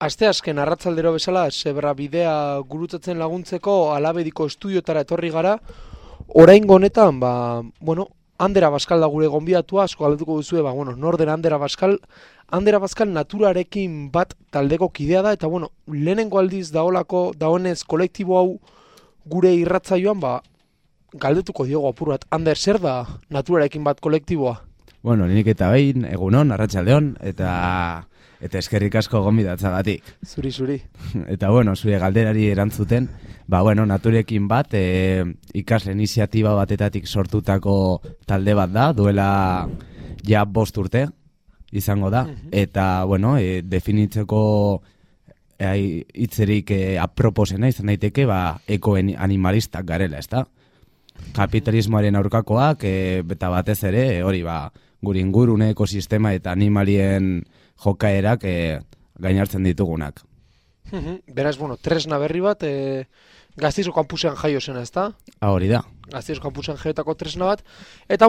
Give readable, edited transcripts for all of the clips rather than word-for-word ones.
Asteazken arratsaldero bezala Zebra bidea gurutzatzen laguntzeko Alabediko estudiotara etorri gara. Oraingo honetan, Ander Abascal da gure gonbidatua, asko galdetuko duzue, nor den Ander Abascal? Ander Abascal naturarekin bat taldeko kidea da, eta lehenengo aldiz dagoenez kolektibo hau gure irratzaioan, galdetuko diogo apur bat. Ander, zer da naturarekin bat kolektiboa? Lehenik eta behin, egunon, arratsaldeon, eta eskerrik asko gonbidatzagatik. Zuri. Eta zure galderari erantzuten, naturekin bat, ikasle iniziatiba batetatik sortutako talde bat da, duela ja 5 urte izango da, eta definitzeko hitzerik aproposena izan daiteke, ekoanimalistak garela, ezta? Kapitalismoaren aurkakoak, eta batez ere, hori gure ingurune ekosistema eta animalien jokaerak gainartzen ditugunak. Beraz, tresna berri bat, Gasteizko kampusean jaio zena, ezta? Hori da. Gasteizko kampusean jaiotako tresna bat. Eta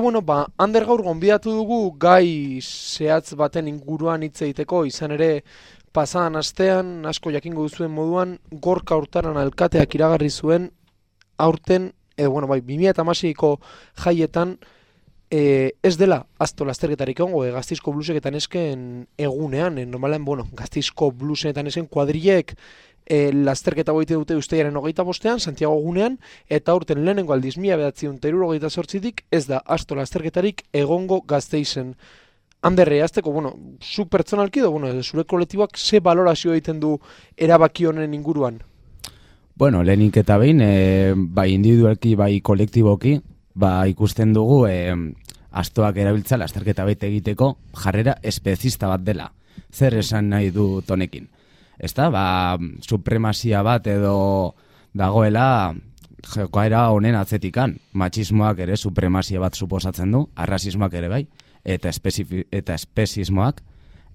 Ander gaur gonbidatu dugu gai zehatz baten inguruan hitz egiteko, izan ere pasadan astean, asko jakingo duzuen moduan, Gorka Hurtaran alkateak iragarri zuen aurten, 2016ko jaietan, ez dela asto lasterketarik egongo, Gasteizko blusek eta nesken egunean, normalen, Gasteizko blusen eta nesken kuadrilek lasterketa goite dute Uztailaren 25ean, Santiago egunean, eta aurten lehenengo aldiz 1978tik ez da asto lasterketarik egongo Gasteizen. Anderre, azteko, zu pertsonalki edo, zure kolektiboak ze balorazio egiten du erabaki honen inguruan? Lehenik eta behin, bai individualki, bai kolektiboki, ikusten dugu astoak erabiltza lasterketa baita egiteko jarrera espezista bat dela. Zer esan nahi du tonekin? Ezta, supremazia bat edo dagoela jokaera honen atzetikan. Matxismoak ere supremazia bat suposatzen du, arrazismoak ere bai, eta espezismoak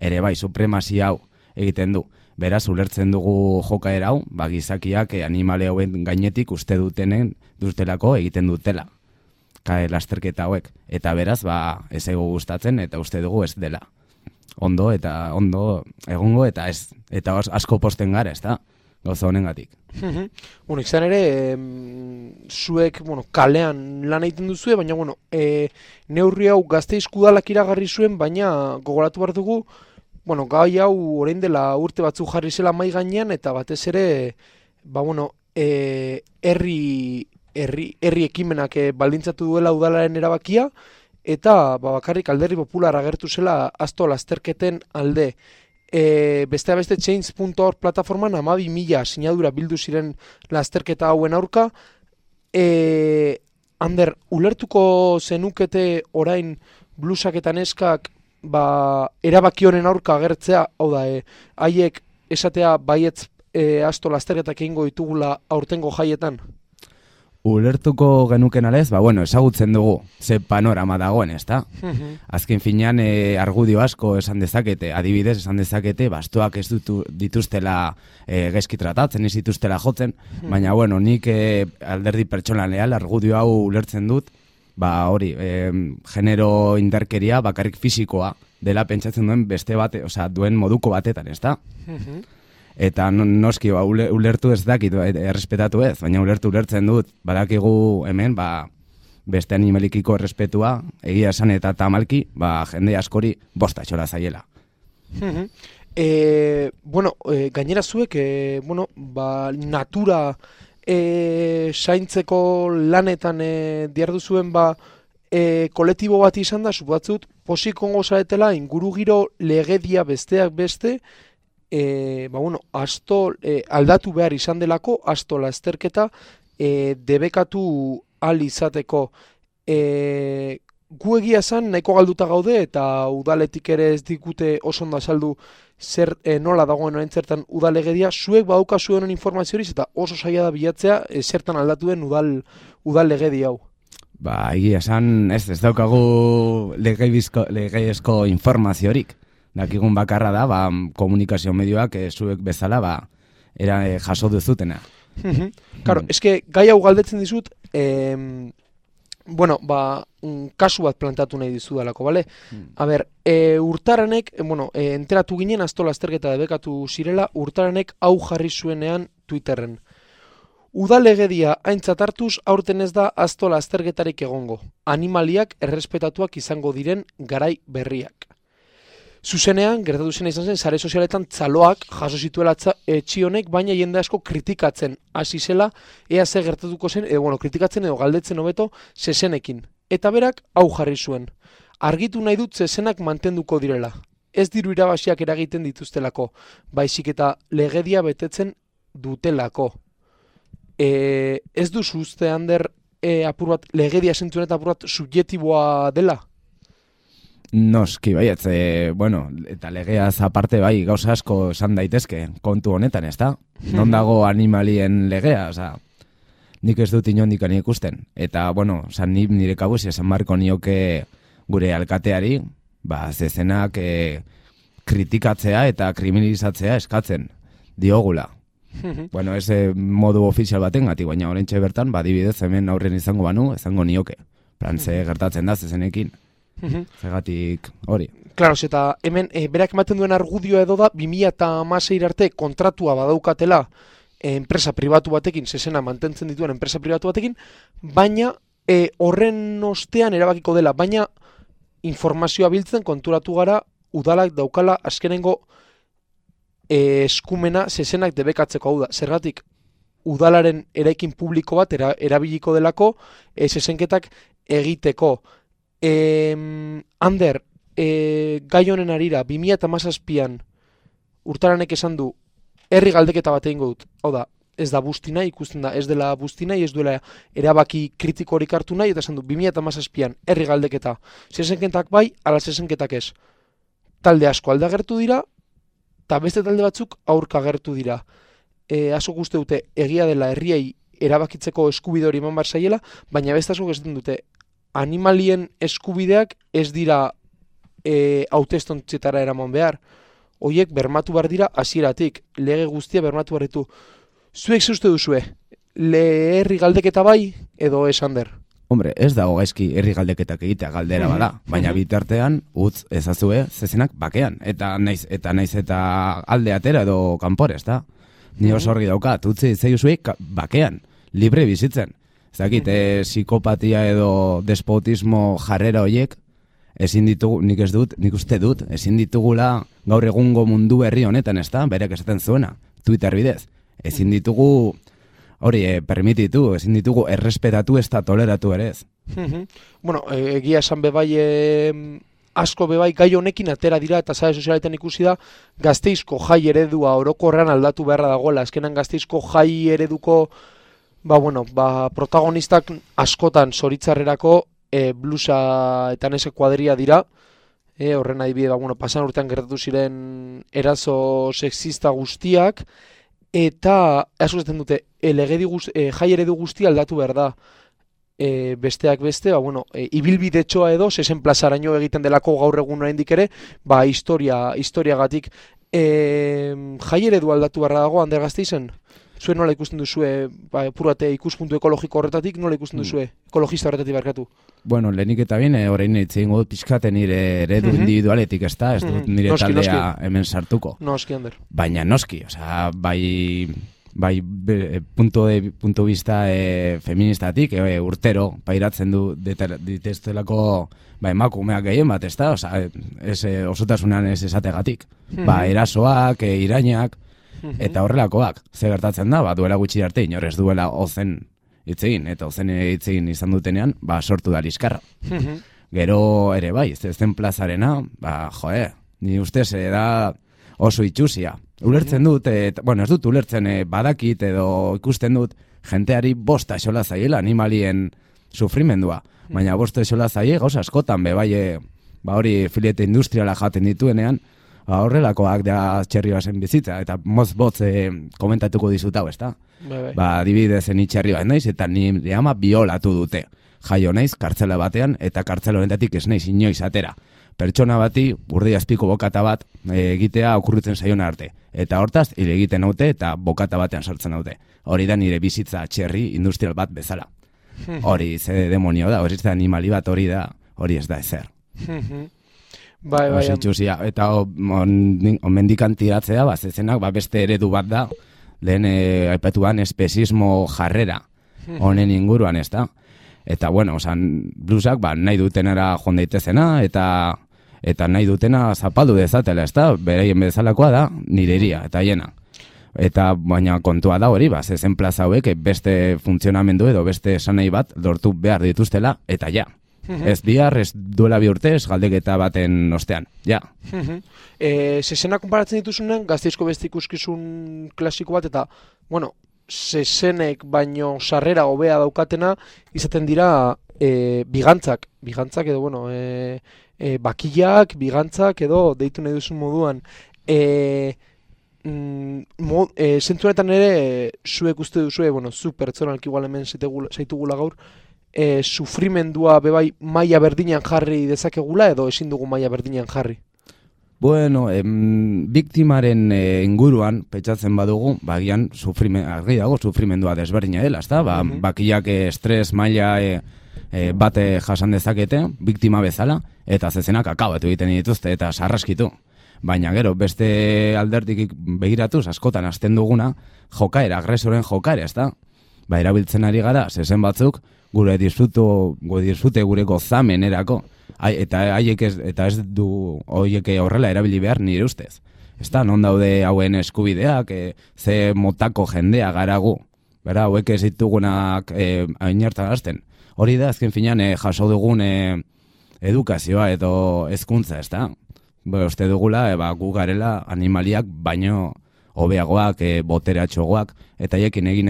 ere bai supremazia hau egiten du. Beraz, ulertzen dugu jokaera hau, gizakiak animale hauen gainetik uste dutelako egiten dutela. Lasterketa hauek. Eta beraz, ez ego gustatzen eta uste dugu ez dela. Ondo egongo eta ez. Eta asko posten gara, ez da? Gauza honengatik. Izan ere, zuek kalean lan egiten duzue, baina neurri hau Gasteizko udalak iragarri zuen, baina gogoratu behar dugu, gai hau orain dela urte batzu jarri zela mai gainean, eta batez ere, herri ekimenak baldintzatu duela udalaren erabakia, eta bakarrik Alderdi Popular agertu zela asto lasterketen alde. Besteak beste Change.org plataforman 12.000 sinadura bildu ziren lasterketa hauen aurka. Ander, ulertuko zenukete orain blusak eta neskak erabaki honen aurka agertzea, hau da, haiek esatea baietz asto lasterketak egingo ditugula aurtengo jaietan? Ulertuko genuken alez, ezagutzen dugu ze panorama dagoen, ezta? Azken finean argudio asko esan dezakete, adibidez esan dezakete, astoak ez dituztela gaizki tratatzen, ez dituztela jotzen, baina nik alderdi pertsonalean argudio hau ulertzen dut, hori, genero indarkeria bakarrik fisikoa dela pentsatzen duen beste bate, duen moduko batetan, ezta? Eta noski, ulertu ez dakit, errespetatu ez, baina ulertzen dut, badakigu hemen, beste animalikiko errespetua, egia esan eta tamalki, jende askori bosta txola zaiela. Gainera zuek, natura zaintzeko lanetan diardu zuen, kolektibo bat izan da, supatzut, posikongo zaretela, ingurugiro legedia besteak beste, aldatu behar izan delako, asto lasterketa debekatu al izateko. Gu egia esan nahiko galduta gaude eta udaletik ere ez digute oso ondo azaldu zer nola dagoen orain zertan udalegedia. Zuek badaukazu honen informazioriz eta oso zaila da bilatzea zertan aldatu den udal legedia hau. Egia esan ez daukagu legeizko informaziorik. Dakigun bakarra da, komunikazio medioak zuek bezala jaso duzutena. Claro, eske gai hau galdetzen dizut, Bueno, kasu bat plantatu nahi dizudalako, bale? A ber, Urtaranek, enteratu ginen Astola azterketa debekatu zirela, Urtaranek hau jarri zuenean Twitterren. Udalegedia aintzat hartuz aurten ez da Astola azterketarik egongo. Animaliak errespetatuak izango diren garai berriak. Zuzenean, gertatu zena izan zen, sare sozialetan txaloak jaso zituela etxi honek, baina jende asko kritikatzen hasi zela, ea ze gertatuko zen, kritikatzen edo galdetzen hobeto zezenekin. Eta berak hau jarri zuen. Argitu nahi dut zezenak mantenduko direla. Ez diru irabaziak eragiten dituztelako, baizik eta legedia betetzen dutelako. Ez duzu uste, Ander, apur bat legedia zentzuen eta apur bat subjektiboa dela? Noski, baietz, eta legeaz aparte bai, gauza asko esan daitezke, kontu honetan, ez da? Non dago animalien legea, nik ez dut inondikan ikusten. Eta, nire kabuz esan marko nioke gure alkateari, zezenak kritikatzea eta kriminalizatzea eskatzen diogula. Ez modu ofizial baten gati, baina orentxe bertan, dibidez hemen aurren izango banu, izango nioke. Prantze gertatzen da zezenekin. Zegatik hori. Claro, eta hemen berak ematen duen argudioa edo da 2016 arte kontratua badaukatela enpresa pribatu batekin, zezena mantentzen dituen enpresa pribatu batekin, baina horren ostean erabakiko dela, baina informazioa biltzen konturatu gara udalak daukala azkenengo eskumena zezenak debekatzeko. Hau da, zergatik udalaren eraikin publiko bat erabiliko delako zezenketak egiteko. Ander, gai honen arira, 2017an Urtaranek esan du, herri galdeketa bat egingo dut. Hau da, ez da busti nahi, ikusten da, ez dela busti nahi, ez duela erabaki kritikorik hartu nahi, eta esan du, 2017an herri galdeketa. Zezenketak bai, ala zezenketak ez. Talde asko alde agertu dira, eta beste talde batzuk aurka agertu dira. Asko uste dute, egia dela herriei erabakitzeko eskubide hori eman bar zaiela, baina beste asko ez dute, animalien eskubideak ez dira hautestontzetara eraman behar. Hoiek bermatu behar dira hasieratik, lege guztia bermatu behar ditu. Zuek zeuste duzue, herri galdeketa bai edo ez, Ander? Hombre, ez dago gaizki herri galdeketak egitea galdera bada, baina bitartean utz ezazue zezenak bakean, eta naiz eta alde atera edo kanpore, ezta? Ni oso argi daukat, utzi zeizuek bakean, libre bizitzen. Ezakit, psikopatia edo despotismo jarrera horiek, ezin ditugu, nik uste dut, ezin ditugula gaur egungo mundu berri honetan, ez da, berek esaten zuena, Twitter bidez. Ezin ditugu, permititu, ezin ditugu errespetatu ez da toleratu ere ez. Egia esan bebai, asko bebai gai honekin atera dira, eta sare sozialetan ikusi da, Gasteizko jai eredua orokorrean aldatu beharra dagoela, azkenan Gasteizko jai ereduko protagonistak askotan zoritzarrerako blusa eta nese kuadria dira. Horren adibide, pasan urtean gertatu ziren eraso sexista guztiak, eta asko zaten dute, jai eredu guztia aldatu behar da. Besteak beste, ibilbidetxoa edo, zezen plazaraino egiten delako gaur egun oraindik ere, historiagatik. Jai eredu aldatu behar dago, Ander Gasteizen? Zuen nola ikusten duzue, purate ikuspuntu ekologiko horretatik, nola ikusten duzue, ekologista horretatik barkatu? Lehenik eta bien, orain eitzen dut pixkate nire eredu individualetik, ez da? Ez dut nire taldea hemen sartuko. Noski, Ander. Baina noski, bai punto vista feministatik, urtero pairatzen du diteztelako emakumeak gehien bat, ez da? Osotasunan ez esategatik. Erasoak, irainak, eta horrelakoak, ze gertatzen da, duela gutxi arte, inor ez duela ozen hitzegin, eta ozen hitzegin izan dutenean, sortu da liskarra. Gero ere bai, zen plazarena, ni ustez da oso itxusia. Ulertzen dut, ez dut ulertzen badakit edo ikusten dut, jenteari bosta esola zaiela animalien sufrimendua, baina bosta esola zaie gauza askotan, hori filete industriala jaten dituenean, horrelakoak da txerrioa zen bizitza, eta mozbotz komentatuko dizut hau, ez da? Dibidezen itxerrioa naiz, eta nire ama biolatu dute. Jaio naiz, kartzela batean, eta kartzela honetatik ez naiz inoiz atera. Pertsona bati, urdi azpiko bokata bat egitea okurritzen zaiona arte. Eta hortaz, hile egiten haute, eta bokata batean sartzen haute. Hori da nire bizitza txerri industrial bat bezala. hori ze demonio da, hori ez da animali bat, hori ez da ezer. Bai, bai. Itxusia, eta omendikan tiratzea, zezenak, beste eredu bat da, lehen aipatuan espezismo jarrera, honen inguruan, ez da? Eta, bueno, bluesak, nahi dutenera joan daitezena, eta nahi dutena zapaldu dezatela, ez da? Beraien bezalakoa da, nireria, eta hiena. Eta, baina kontua da hori, zezen plaza hauek, beste funtzionamendu edo beste esanai bat lortu behar dituztela, eta ja. Ez bihar, ez duela bi urte, ez galdeketa baten ostean, ja. Zezena konparatzen dituzunen, Gasteizko beste ikuskizun klasiko bat, eta, bueno, zezenek baino sarrera hobea daukatena, izaten dira bigantzak edo, bueno, bakillak, bigantzak edo, deitu nahi duzun moduan. Zentzunetan ere, zuek uste duzue, bueno, zu pertsonalki igual hemen zaitugula gaur, sufrimendua bebai maila berdinean jarri dezakegula edo ezin dugu maila berdinean jarri? Bueno, biktimaren inguruan pentsatzen badugu, bagian argi dago sufrimendua desberdina dela, ezta? Bakillak estres maila bate jasan dezakete, biktima bezala, eta zezenak akabatu egiten dituzte eta sarraskitu. Baina gero, beste alderdik begiratuz, askotan hasten duguna, jokaera, agresoren jokaera, ezta? Erabiltzen ari gara, zezen batzuk, gure disfrute gure gozamen erako, eta ez du horiek horrela erabili behar nire ustez. Ez da, non daude hauen eskubideak, ze motako jendea garagu, hauek ez ditugunak ainartan hasten. Hori da, azken finean, jaso dugun edukazioa edo hezkuntza, ez da? Uste dugula, gu garela animaliak baino hobeagoak, boteratxoagoak, eta haiekin egin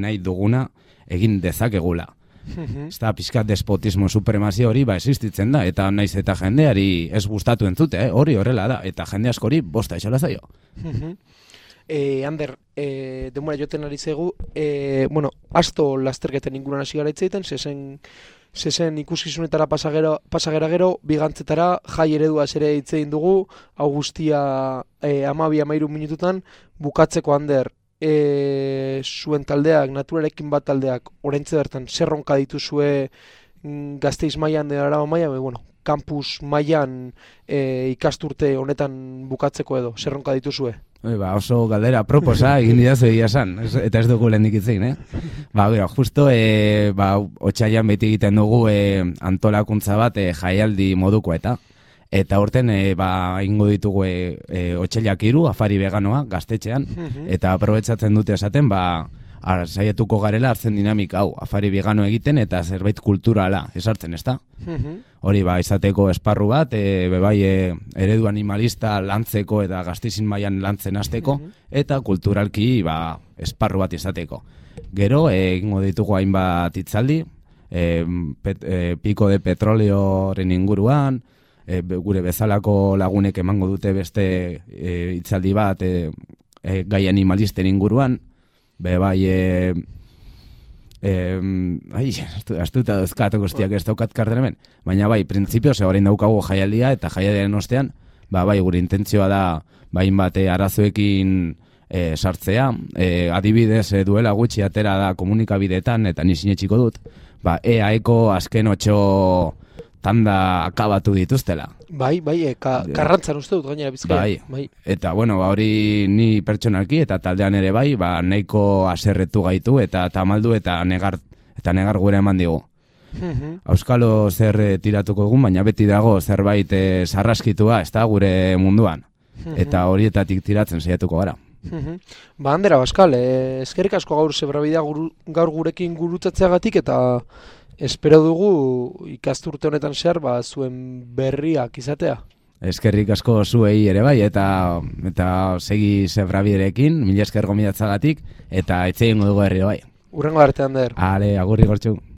nahi duguna egin dezakegula. Ez da, pixkat despotismo supremazio hori existitzen da, eta naiz eta jendeari ez gustatu entzute, hori horrela da, eta jende askori bosta esola zaio. Ander, denbora joten ari zegu, bueno, asto lasterketen inguruan hasi gara itzaiten, zezen ikuskizunetara pasagera gero, bigantzetara, jai ereduaz ere hitzein dugu, hau guztia 12-13 minututan, bukatzeko Ander, zuen taldeak, naturarekin bat taldeak, oraintxe bertan, zerronka dituzue Gasteiz mailan edo Araba mailan, bueno, campus mailan ikasturte honetan bukatzeko edo, zerronka dituzue? Oso galdera proposa egin didazu egia esan, eta ez dugu lehendik itzein, justo, otsailean beti egiten dugu antolakuntza bat jaialdi moduko eta horten ingo ditugu otsailak 3 afari veganoa gaztetxean, eta aprobetxatzen dute esaten, saietuko garela hartzen dinamika hau, afari vegano egiten eta zerbait kulturala esartzen, ezta? Hori izateko esparru bat, eredu animalista lantzeko eta Gasteizin mailan lantzen hasteko, eta kulturalki esparru bat izateko. Gero, egingo ditugu hainbat hitzaldi, piko de petroleoren inguruan, gure bezalako lagunek emango dute beste hitzaldi bat gai animalisten inguruan, astuta dozkat guztiak ez daukat karten hemen, baina printzipioz orain daukagu jaialdia eta jaialdiaren ostean, gure intentzioa da bat arazoekin sartzea, adibidez duela gutxi atera da komunikabideetan eta ni sinetsiko dut, EAeko azken 8 tanda akabatu dituztela. Karrantzan uste dut gainera Bizkaia. Eta, hori ni pertsonalki eta taldean ere nahiko aserretu gaitu eta tamaldu eta negar gure eman digu. Auskalo zer tiratuko egun, baina beti dago zerbait sarraskitua, ez da, gure munduan. Eta horietatik tiratzen saiatuko gara. Ander Abascal, eskerrik asko gaur zebrabidea gaur gurekin gurutzatzeagatik eta espero dugu ikasturte honetan zehar zuen berriak izatea. Eskerrik asko zuei ere eta segi zebrabiderekin, mila esker gomidatzagatik, eta etxe ingo dugu herriro Urrengo arte, Ander. Agurri gortxu.